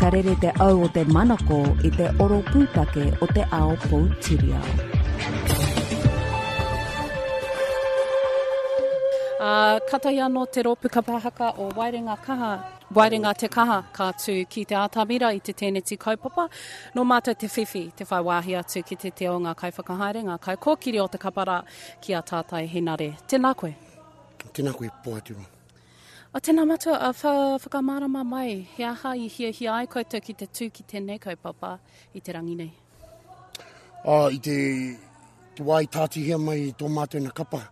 Ka rere te au o te manako i te oro pūtake o te ao poutiriao. Ā, katahi anō te rōpū kapa haka o Waerenga Kaha, Waerenga Te Kaha, ka tū ki te atamira i te tēneti kaupapa. Nō mātou te whiwhi, te whai wāhi atu ki te te o ngā kaiwhakahaere, ngā kaikōkiri o te kapa rā, ki a Tātai Henare. Tēnā koe. Tēnā koe, Pohaturoa. A tēnā matua, a wha, whakamārama mai, he aha i hiahia ai koutou ki te tū ki tēnei kaupapa i te rangi nei? A, i te, te wā i tātihia mai i tō mātou na kapa,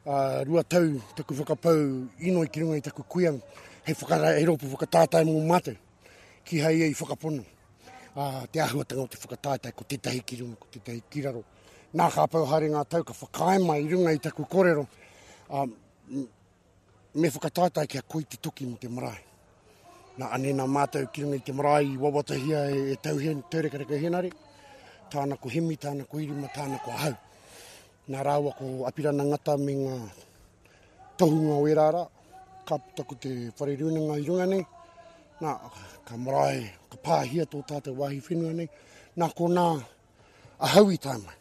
a, 2 tau taku whakapau inoi ki runga i taku kuia, hei, whakara, hei rōpū whakatātai mō mātou, kihai ia i whakapono. A, te āhuatanga o te whakatātai, ko tētahi ki runga, ko tētahi ki raro. Nā ka pau haere ngā tau, ka whakaae mai i runga i taku kōrero, a, Me whakataetae kia koi te toki mo te marae. Na anei na mātou ki runga i te marae i wawatahia e, e Tauhen, Taurekareka Henare, tāna ko Hemi, tāna ko Irima, tāna ko ahau. Nā rāua ko Apirana Ngata me ngā tohunga o ērā rā, ka puta ko te whare rūnanga i runga nei, nā, ka marae, ka pāhia tō tātou wāhi whenua nei, nā konā ahau i tae mai.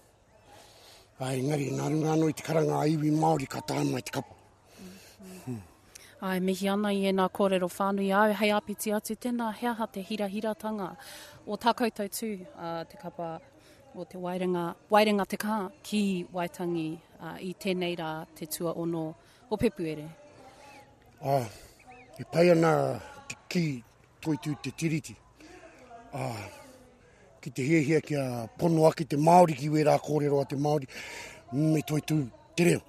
Ā, engari, nā runga anō i te karanga a iwi Māori ka tae mai te kapa. Hmm. Āe, mihi ana i ēnā kōrero whānui āu, hei āpiti atu tēnā, he aha te hirahiratanga o tā koutou tū, a te kapa o te Waerenga, Waerenga Te Kā ki Waitangi i tēnei rā te tuaono o Pepuere? Ā, e pai ana te kī toitū te Tiriti. Ā, ki te hiahia kia pono ake te Māori ki wērā kōrero a te Māori, me toitū te reo.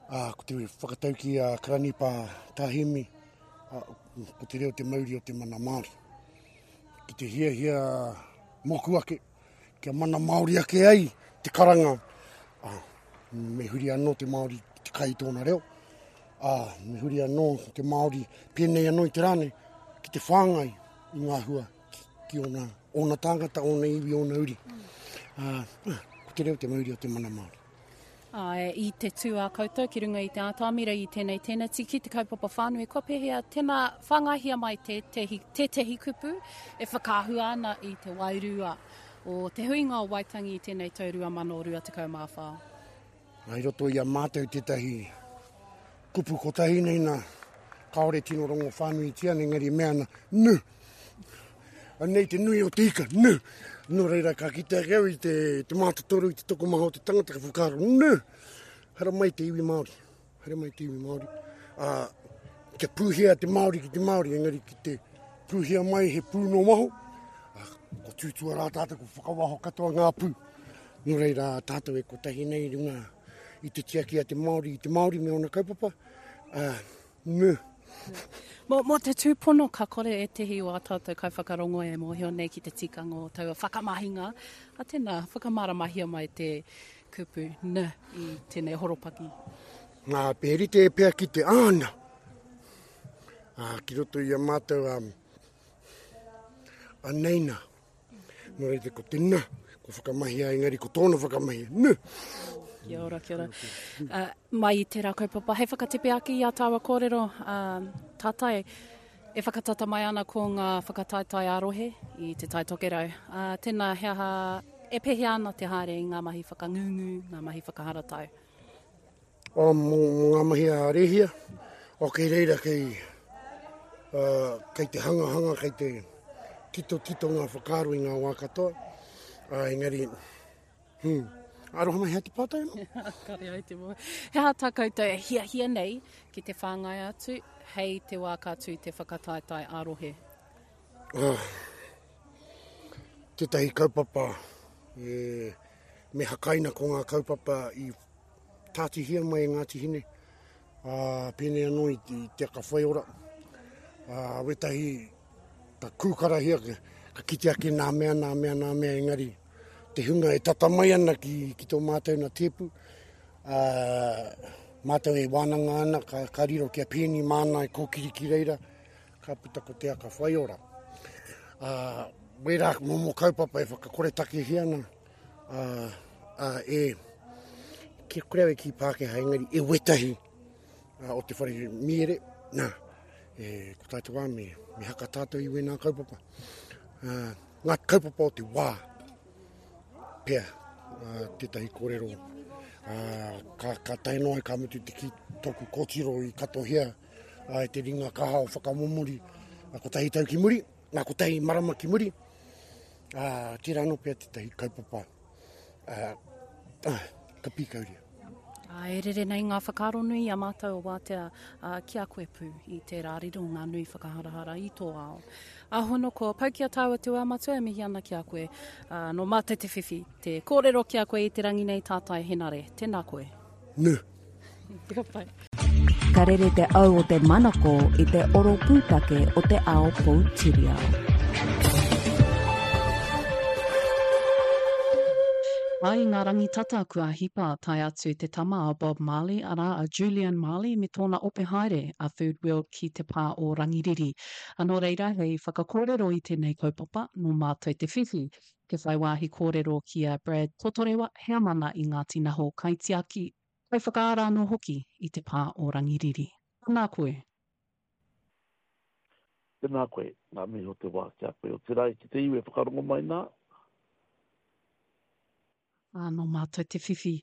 Ā, ko te whakataukī a Karanipa Tāhimi, ā, ko te reo te mauri o te mana Māori. Ki te hiahia mōku ake, kia mana Māori ake ai te karanga, ā, me huri anō te Māori ki te kai i tōna reo, ā, me huri anō te Māori pēnei anō i te rā nei, ki te whāngai i ngā hua ki ōna, ōna tāngata, ōna iwi, ōna uri. Ā, ko te reo te mauri o te mana Māori. Āe, i te tū a koutou ki runga i te ātamira i tēnei teneti ki te kaupapa whānui, kua pēhea, tēnā, whāngaihia mai tētehi, tētehi kupu e whakaahua ana i te wairua o te huinga o Waitangi i tēnei tau 2024. I roto i a mātou tētahi kupu kotahi nei nā, kāore tino rongo whānuitia, engari e mea ana, nu! Anei te nui o te ika, nu! Nō reira, ka kite ake au i te, te mātotoru, i te tokomaha o te tangata, ka whakaaro, nu! Haramai te iwi Māori, haramai te iwi Māori. Ā, kia pūhia te Māori ki te Māori, engari ki te pūhia mai he pū nō waho, ā, ko tūtua rā tātou, ko whakawaho katoa ngā pū. Nō reira, tātou e kotahi nei i runga i te tiaki a te Māori i te Māori me ōna kaupapa, ā, me. Mō, mō te tūpono ka kore ētehi o ā tātou kaiwhakarongo e mōhio nei ki te tikanga o taua whakamahinga, ā, tēnā, whakamāramahia mai te kupu n i tēnei horopaki. Ngā, he rite pea ki te āna, ā, ki roto i a mātou, ā, anei nā. Nō reira, ko te na, ko whakamahia, engari ko tōna whakamahia, nu! Kia ora, kia ora. Uh, mai i tērā kaupapa, hei whakatepe ake i a tāua kōrero, uh, tātai, e whakatata mai ana ko ngā whakataetae ā-rohe i Te Tai Tokerau. Uh, tēnā, he aha, e pēhea ana te haere i ngā mahi whakangungu, ngā mahi whakaharatau? O, mō, mō ngā mahi a Rehia, o kei reira kei, uh, kei te hangahanga, kei te tito tito ngā whakaaro i ngā wā katoa. Uh, engari, hmm, aroha mai hea te pātai anō? Kare ai te mō. He aha tā koutou e hiahia nei ki te whāngai atu hei te wā ka tū te whakataetae ā-rohe? Uh, tētahi kaupapa e, me hakaina ko ngā kaupapa i tātihia mai e Ngāti Hine, ā, pēnei anō i, i te aka whaiora. Ā, wētahi ka kūkarahia, ka kite ake nā mea, nā mea, nā mea, engari te hunga e tata mai ana ki, ki tō mātou na tēpu, ā, mātou e wānanga ana, ka, ka riro kia pēni māna e kōkiri ki reira, ka puta ko te aka whaiora. Ā, wērā momo kaupapa e whakakoretakehia ana, ā, ā, e, kia kore au e kī Pākehā, engari e wetahi ā, o te whare miere, nā, E, ko tā te wā me, me haka tātou i wēnā kaupapa. Uh, ngā kaupapa o te wā, pea, uh, tētahi kōrero, uh, ka, ka tae noa ka mutu te ki tōku kōtiro i katohia uh, e te ringa kaha o whakamomori uh, kotahi tau ki muri, ngā kotahi marama ki muri, uh, tērā anō pea tētahi kaupapa uh, uh, ka pīkauria. Ā, e rere nei ngā whakaaro nui i a mātou o Wātea ā, ki a koe pū i tērā riro ngā nui whakaharahara i tō ao. Ā, hono ko pau ki a tāua te wā matua e mihi ana ki a koe. Ā, nō mātou te whiwhi, te kōrero ki a koe i te rangi nei Tātai Henare. Tēnā koe. Nū. Ka pai. Ka rere te au o te manako i te oro pūtake o te ao poutiriao. Ā, i ngā rangi tata kua hipa tae atu te tama a Bob Marley, arā, a Julian Marley me tōna ope haere a Third World ki te pā o Rangiriri. Ā, nō reira, hei whakakōrero i tēnei kaupapa, nō mātou te whiwhi te whai wāhi kōrero ki a Brad Totorewa, heamana i Ngāti Naho Kaitiaki, Kaiwhakaara anō hoki i te pā o Rangiriri. Tēnā koe. Tēnā koe, ngā mihi o te wā ki a koe. Otirā ki te iwi e whakarongo mai nā. Ā, nō mātou te whiwhi.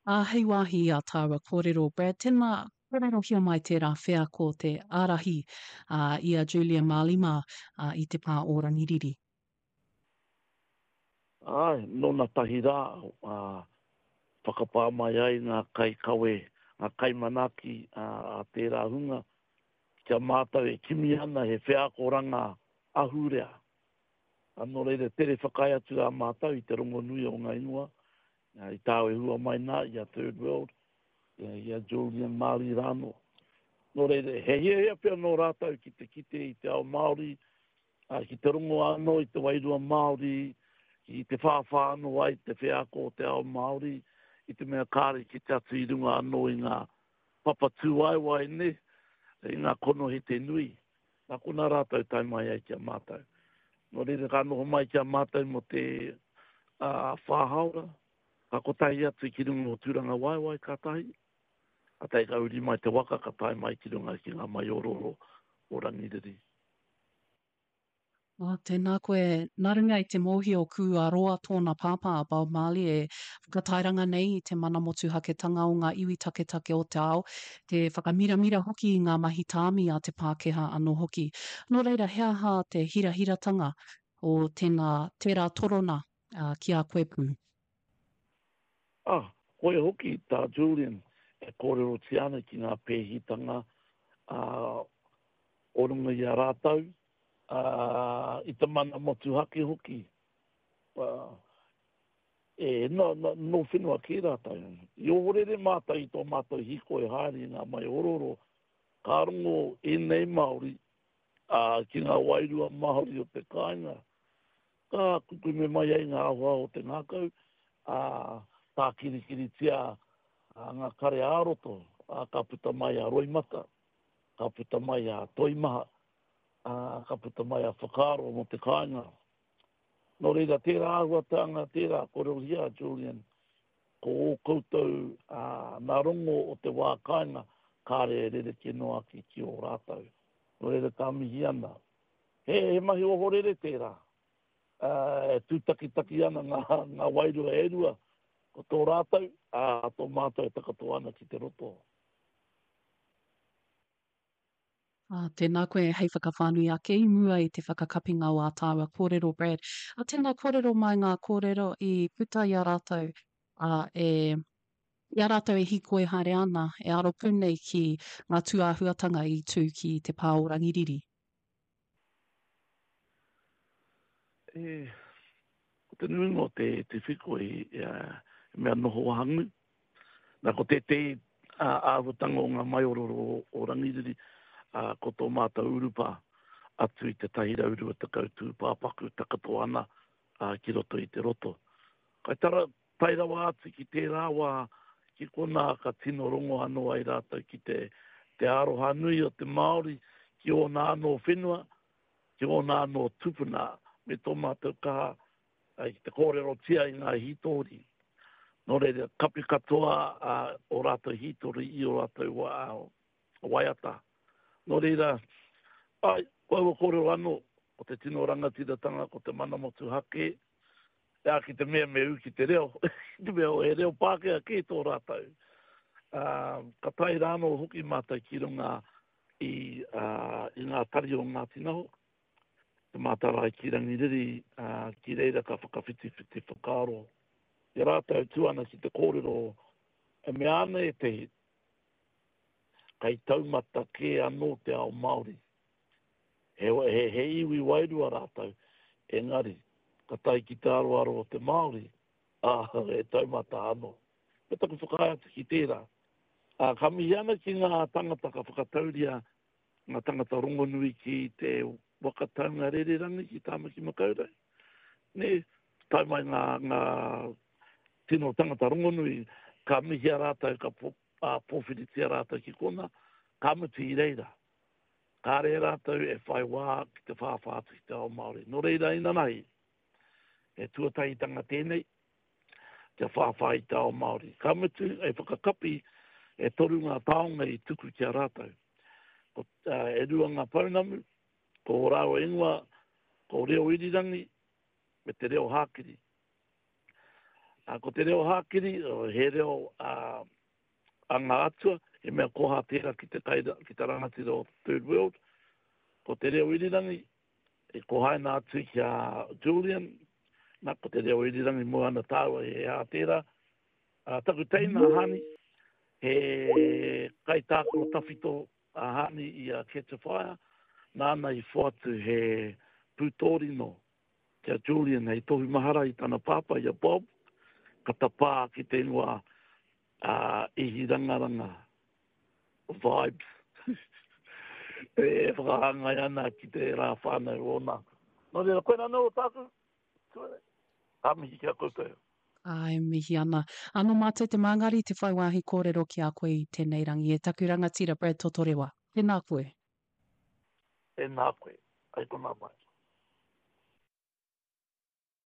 Ā, hei wāhi i ā tāua kōrero, Brad, tēnā, kōrerohia mai tērā wheako te ārahi, ā, i a Julia Marley mā, ā, i te pā o Rangiriri. Āe, nōna tahi rā, ā, whakapā mai ai ngā kaikawe, ngā kaimanaaki a tērā hunga ki a mātou e kimi ana he wheakoranga ahurea. Ā, nō reira, tere whakaae atu rā mātou i te rongonui o ngā ingoa, i tāu e hua mai nā i a Third World, i a Julian Marley rānō. Nō reira, he hiahia pea nō rātou ki te kite i te ao Māori, ā, ki te rongo anō i te wairua Māori, ki te whāwhā anō ai te wheako o te ao Māori, i te mea kāre i kite atu i runga anō i ngā papa tūwaewae, nē, i ngā konohete nui. Nā konā rātou tae mai ai ki a mātou. Nō reira ka noho mai ki a mātou mō te ā, whā hāora, ka kotahi atu ki runga o Tūrangawaewae ka tahi, kātahi ka uri mai te waka ka tae mai ki runga ki ngā maiorooro o Rangiriri. Oh, tēnā koe. Nā runga i te mōhio kua roa tōna pāpā a Bob Marley e whakatairanga nei i te mana motuhaketanga o ngā iwi taketake o te ao, te whakamiramira hoki i ngā mahi tāmi a te Pākehā anō hoki. Nō reira, he aha te hirahiratanga o tēnā, tērā torona ki a koe pū? Ah, koia hoki tā Julian e kōrerotia ana ki ngā pēhitanga o runga i a rātou, ā, i te mana motuhake hoki. Ā, e, nō, nō, nō whenua kē rātou. I ohorere mātou i tō mātou hīkoi haere i ngā maiorooro, ka rongo ēnei Māori, ā, ki ngā wairua Māori o te kāinga. Ka kukume mai ai ngā ahoaho o te ngākau, ā, tākirikiritia ngā kare ā-roto, ā, ka puta mai a roimata, ka puta mai a toimaha, ā, ka puta mai a whakaaro mō te kāinga. Nō reira, tērā āhuatanga, tērā kōrerohia a Julian, ko ō koutou ā, nā rongo o te wā kāinga, kāre e rerekē noa ake ki ō rātou. Nō reira, ka mihi ana. He, he mahi ohorere tērā. Ā, e tūtakitaki ana ngā, ngā wairua e rua, ko tō rātou, ā, tō mātou e takato ana ki te roto. Ā, tēnā koe hei whakawhānui ake i mua i te whakakapinga o ā tāua kōrero, Brad. Ā, tēnā kōrero mai ngā kōrero i puta i a rātou, ā, e, i a rātou e hīkoi haere ana, e aro pū nei ki ngā tūāhuatanga i tū ki te pā o Rangiriri. E, ko te nuinga o te, te whikoi, e, he mea noho wahangū. Nā, ko tētehi āhuatanga o ngā maiororo o Rangiriri, ko tō mātou urupā atu i te 120 tūpāpaku takato ana ki roto i te roto. Kai tara, tae rawa atu ki tērā wā, ki konā ka tino rongo anō ai rātou ki te, te aroha nui o te Māori ki ōna anō whenua, ki ōna anō tupuna, me tō mātou kaha ki te kōrerotia i ngā hītori. Nō reira, kapi katoa ō rātou hītori i ō rātou waiata. Nō reira, Āe, ko aua kōrero anō, ko te tino rangatiratanga, ko te mana motuhake, ā, ki te mea me ū ki te reo, ki te mea he reo Pākehā kē tō rātou. Ā, ka tae rānō hoki mātou ki runga i, ā, i ngā tari o Ngāti Naho, te mātārae ki Rangiriri, ā, ki reira ka whakawhitiwhiti whakaaro. I a rātou e tū ana ki te kōrero, e mea ana ētehi, kei taumata kē anō te ao Māori. He, he, he iwi wairua rātou, engari, ka tae ki te aroaro o te Māori, ā, he taumata anō. Me taku whakaae atu ki tērā. Ā, ka mihi ana ki ngā tangata ka whakatauria ngā tangata rongonui ki te waka taunga rererangi ki Tāmaki Makaurau. Nē, tae mai ngā, ngā tino tangata rongonui, ka mihia rātou, ka po, ā, pōwhiritia rātou ki kona, ka mutu i reira. Kāre rātou e whai wā ki te whāwhā atu ki te ao Māori. Nō reira inanahi, he tuatahitanga tēnei, kia whāwhā i te ao Māori. Ka mutu, hei whakakapi, e toru ngā taonga i tuku ki a rātou. Ko, uh, e rua ngā pounamu, ko ō rāua ingoa, ko Reo Irirangi me te Reo Hākiri. Uh, ko te Reo Hākiri, he reo uh, a ngā atua, he mea koha tērā ki te, kai, ki te rangatira o Third World. Ko te Reo Irirangi, I kohaina atu ki a Julian, na, ko te reo irirangi moe ana tāua he hā tērā. Uh, taku teina a Hani, he kaitākaro tawhito a Hani i a Catch a Fire, nāna i whoatu he pūtōrino ki a Julian hei tohu mahara i tana pāpā, i a Bob, ka tapā ki te ingoa a Ihirangaranga. Vibes e whakahāngai ana ki te rā whānau ōna. Nō reira, koinā anō tāku, tuere, ka mihi ki a koutou. Āe, mihi ana. Anō mātou te māngari te whai wāhi kōrero ki a koe i tēnei rangi e taku rangatira Brad Totorewa. Tēnā koe. Tēnā koe. Hei konā mai.